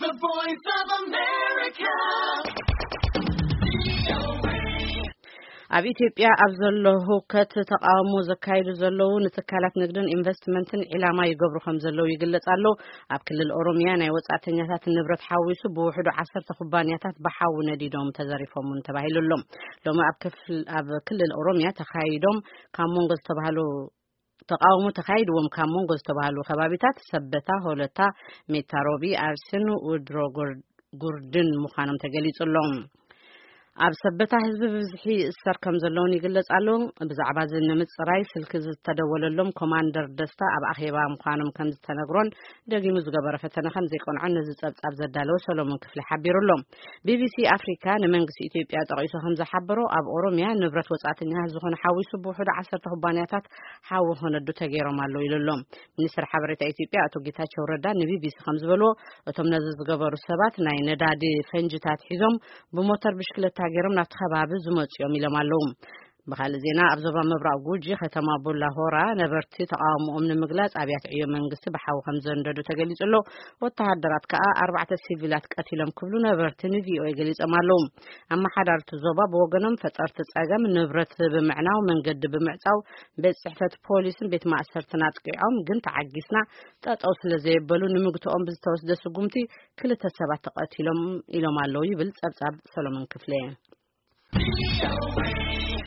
The Voice of America. ኣብ ኢትዮጵያ ኣብ ዘሎ ህውከት ተቃውሞ ዘካይዱ ዘለዉ ንትካላት ንግድን ኢንቨስትመንትን ዒላማ ይገብሩ ከም ዘለዉ ይግለጽ ኣሎ። ኣብ ክልል ኦሮሚያ ናይ ወጻእተኛታት ንብረት ሓዊሱ ብውሕዱ ዓሰርተ ኩባንያታት ብሓዊ ነዲዶም ተዘሪፎም እውን ተባሂሉ ኣሎ። ሎሚ ኣብ ክፍል-፣ ኣብ ክልል ኦሮሚያ ተኻይዶም ካብ መንጎ ዝተባህሉ ተቃውሞ ተኻይድዎም ካብ መንጎ ዝተባህሉ ከባቢታት ሰበታ፣ ሆለታ፣ ሜታ ሮቢ፣ ኣርሲን ውድሮ ጉር-፣ ጉርድን ምዃኖም ተገሊጹ ኣሎ። ኣብ ሰበታ ህዝቢ ብብዝሒ ይእሰር ከም ዘለውን ይግለጽ ኣሎ። ብዛዕባ እዚ ንምጽራይ ስልኪ ዝተደወለሎም ኮማንደር ደስታ ኣብ ኣኼባ ምዃኖም ከም ዝተነግሮን ደጊሙ ዝገበረ ፈተነ ከም ዘይቀንዖን ነዚ ጸብጻብ ዘዳለወ ሰሎሞን ክፍሊ ሓቢሩ ኣሎ። ቢቢሲ ኣፍሪካ ንመንግስቲ ኢትዮጵያ ጠቒሱ ከም ዝሓበሮ ኣብ ኦሮሚያ ንብረት ወጻእተኛታት ዝኾነ ሓዊሱ ብውሕዱ ዓሰርተ ኩባንያታት ሓዊ ክነዱ ተገይሮም ኣለዉ ኢሉ ኣሎ። ሚኒስትር ሓበሬታ ኢትዮጵያ ኣቶ ጌታቸው ረዳ ንቢቢሲ ከም ዝበልዎ እቶም ነዚ ዝገበሩ ሰባት ናይ ነዳዲ ፈንጅታት ሒዞም ብሞተር ብሽክለታ ገይሮም ናብቲ ከባቢ ዝመጹ እዮም ኢሎም ኣለዉ። ብኻልእ ዜና ኣብ ዞባ ምብራቕ ጉጂ ከተማ ቡላ ሆራ ነበርቲ ተቃውሞኦም ንምግላጽ ኣብያተ ዕዮ መንግስቲ ብሓዊ ከም ዘንደዱ ተገሊጹ ኣሎ። ወተሃደራት ከኣ ኣርባዕተ ሲቪላት ቀቲሎም ክብሉ ነበርቲ ንቪኦኤ ገሊጾም ኣለዉ። ኣመሓዳርቲ ዞባ ብወገኖም ፈጠርቲ ጸገም ንብረት ብምዕናው መንገዲ ብምዕጻው ቤት ጽሕፈት ፖሊስን ቤት ማእሰርትን ኣጥቂዖም ግን ተዓጊስና ጠጠው ስለ ዘየበሉ ንምግትኦም ብዝተወስደ ስጉምቲ ክልተ ሰባት ተቐቲሎም ኢሎም ኣለዉ ይብል ጸብጻብ ሰሎሞን ክፍለ።